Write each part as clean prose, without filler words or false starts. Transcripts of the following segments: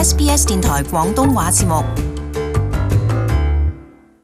SBS 電台廣東話節目。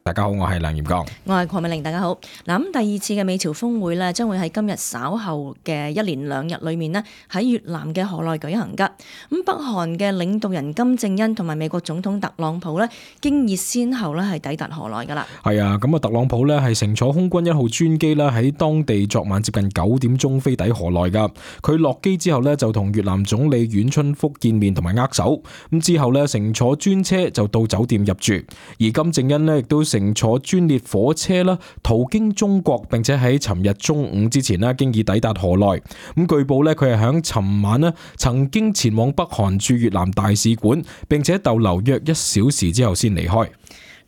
大家好，我係梁炎剛，我係鄺美玲。大家好。嗱，咁第二次嘅美朝峰會呢，將會喺今日稍後嘅一連2日裏面呢，喺越南嘅河內舉行噶。咁北韓嘅領導人金正恩同埋美國總統特朗普呢，經已先後呢係抵達河內噶啦。係啊，咁啊，特朗普呢係乘坐空軍1號專機啦，喺當地昨晚接近9點鐘飛抵河內噶。佢落機之後呢，就同越南總理阮春福見面同埋握手。咁之後呢，乘坐專車就到酒店入住。而金正恩呢，亦都乘坐專列火車啦，途經中國，並且喺尋日中午之前呢，經已抵達河內。咁據報呢，佢係響尋晚呢曾經前往北韓駐越南大使館，並且逗留約1小時之後先離開。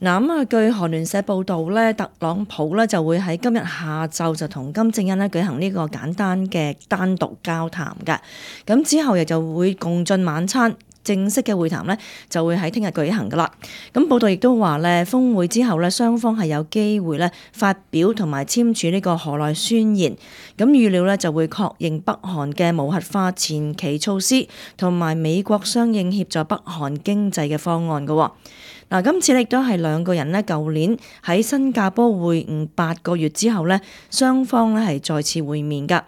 嗱，咁據韓聯社報道呢，特朗普呢就會喺今日下晝就同金正恩呢舉行呢個簡單嘅單獨交談嘅。咁之後亦就會共進晚餐。正式嘅會談呢就會喺聽日舉行噶啦。咁報道亦都話呢，峰會之後呢，雙方係有機會呢發表同埋簽署呢個河內宣言。咁預料呢就會確認北韓嘅無核化前期措施，同埋美國相應協助北韓經濟嘅方案噶。嗱，今次亦都係兩個人呢舊年喺新加坡會晤8個月之後呢，雙方呢係再次會面噶。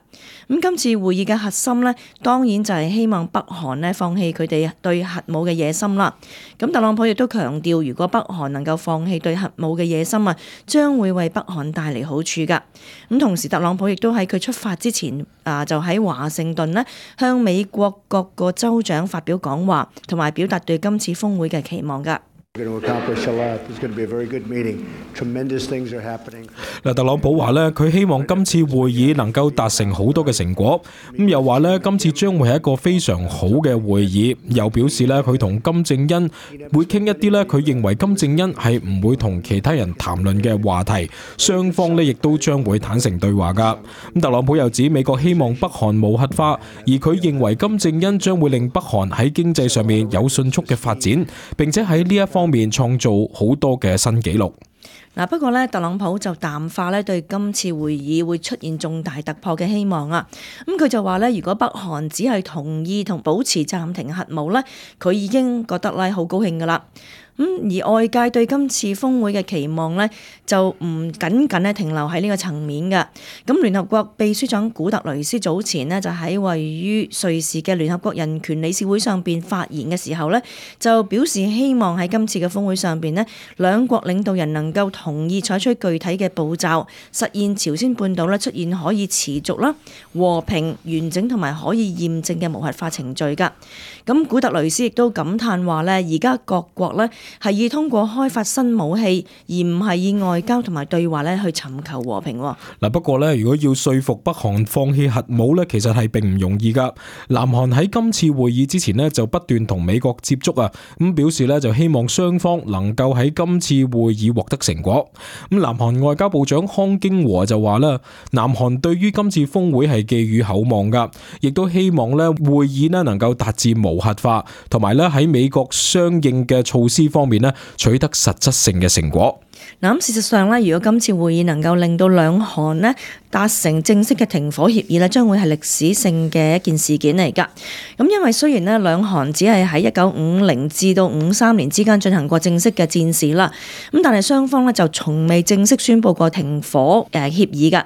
咁今次會議嘅核心呢，當然就係希望北韓呢放棄佢哋對核武嘅野心啦。咁特朗普亦都強調，如果北韓能夠放棄對核武嘅野心啊，將會為北韓帶嚟好處噶。咁同時，特朗普亦都喺佢出發之前就喺華盛頓呢向美國各個州長發表講話，同埋表達對今次峰會嘅期望噶。特朗普話呢，佢希望今次會議能夠達成好多嘅成果。咁又話呢，今次將會係一個非常好嘅會議。又表示呢，佢同金正恩會傾一啲呢，佢認為金正恩係唔會同其他人談論嘅話題。雙方呢亦都將會坦誠對話噶。咁特朗普又指美國希望北韓無核化，而佢認為金正恩將會令北韓喺經濟上面有迅速嘅發展，並且喺呢一方面創造好多嘅新紀錄。不過呢，特朗普就淡化呢對今次會議會出現重大突破嘅希望啊。咁佢就話呢，如果北韓只係同意同保持暫停核武呢，佢已經覺得呢好高興噶啦。而外界對今次峰會嘅期望呢，就唔僅僅咧停留喺呢個層面嘅。咁聯合國秘書長古特雷斯早前呢，就喺位於瑞士嘅聯合國人權理事會上邊發言嘅時候呢，就表示希望喺今次嘅峰會上邊呢，兩國領導人能夠同意採取具體嘅步驟，實現朝鮮半島出現可以持續啦、和平、完整同埋可以驗證嘅無核化程序㗎。咁古特雷斯亦都感嘆話呢，而家各國呢係以通過開發新武器，而唔係以外交同埋對話去尋求和平。不過呢，如果要說服北韓放棄核武呢，其實係並唔容易噶。南韓喺今次會議之前呢，就不斷同美國接觸啊，咁表示呢，就希望雙方能夠喺今次會議獲得成果。咁南韓外交部長康京和就話啦，南韓對於今次峰會係寄予厚望噶，亦都希望呢會議呢能夠達至無核化，同埋呢喺美國相應嘅措施方面呢取得實質性嘅成果。咁事實上呢，如果今次會議能夠令到兩韓呢達成正式嘅停火協議呢，將會係歷史性嘅一件事件嚟㗎。咁因為雖然呢兩韓只係喺1950至到53年之間進行過正式嘅戰事啦，咁但係雙方呢就從未正式宣布過停火協議㗎。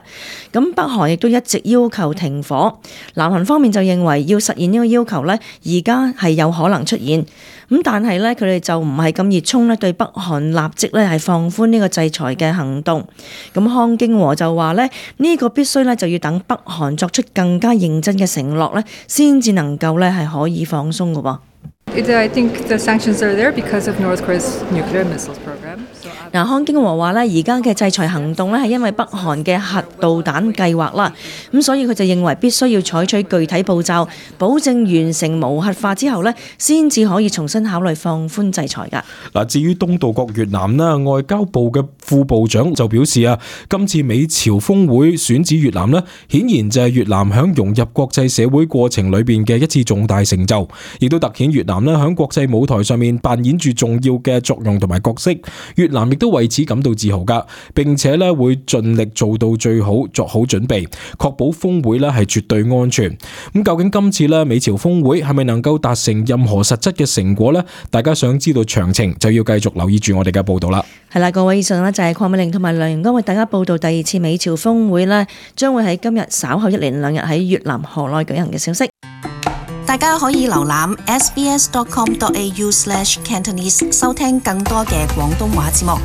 咁北韓亦都一直要求停火，南韓方面就認為要實現呢個要求呢，而家係有可能出現。咁但係呢，佢哋就唔係咁熱衷呢對北韓立即呢係放寬呢個制裁嘅行動。咁康京和就話呢，呢個必須呢就要等北韓作出更加認真嘅承諾呢，先至能夠呢係可以放鬆嘅喎。I think the sanctions are there because of North Korea's nuclear missiles program. 康京和話呢，而家嘅制裁行動呢係因為北韓嘅核導彈計劃啦，咁所以佢就認為必須要採取具體步驟，保證完成無核化之後呢，先至可以重新考慮放寬制裁㗎。至於東道國越南呢，外交部嘅副部長就表示啊，今次美朝峰會選址越南呢，顯然就係越南響融入國際社會過程裏邊嘅一次重大成就，亦都凸顯越南呢響國際舞台上面扮演住重要嘅作用同埋角色。越南亦都都為此感到自豪㗎，並且咧會盡力做到最好，作好準備，確保峰會咧係絕對安全。咁究竟今次咧美朝峰會係咪能夠達成任何實質嘅成果呢？大家想知道詳情就要繼續留意住我哋嘅報道啦。係啦，各位，以上呢就係鄺美玲同埋梁榮光為大家報道第二次美朝峰會呢將會喺今日稍後1連2日喺越南河內舉行嘅消息。大家可以瀏覽 sbs.com.au/Cantonese 收聽更多嘅廣東話節目。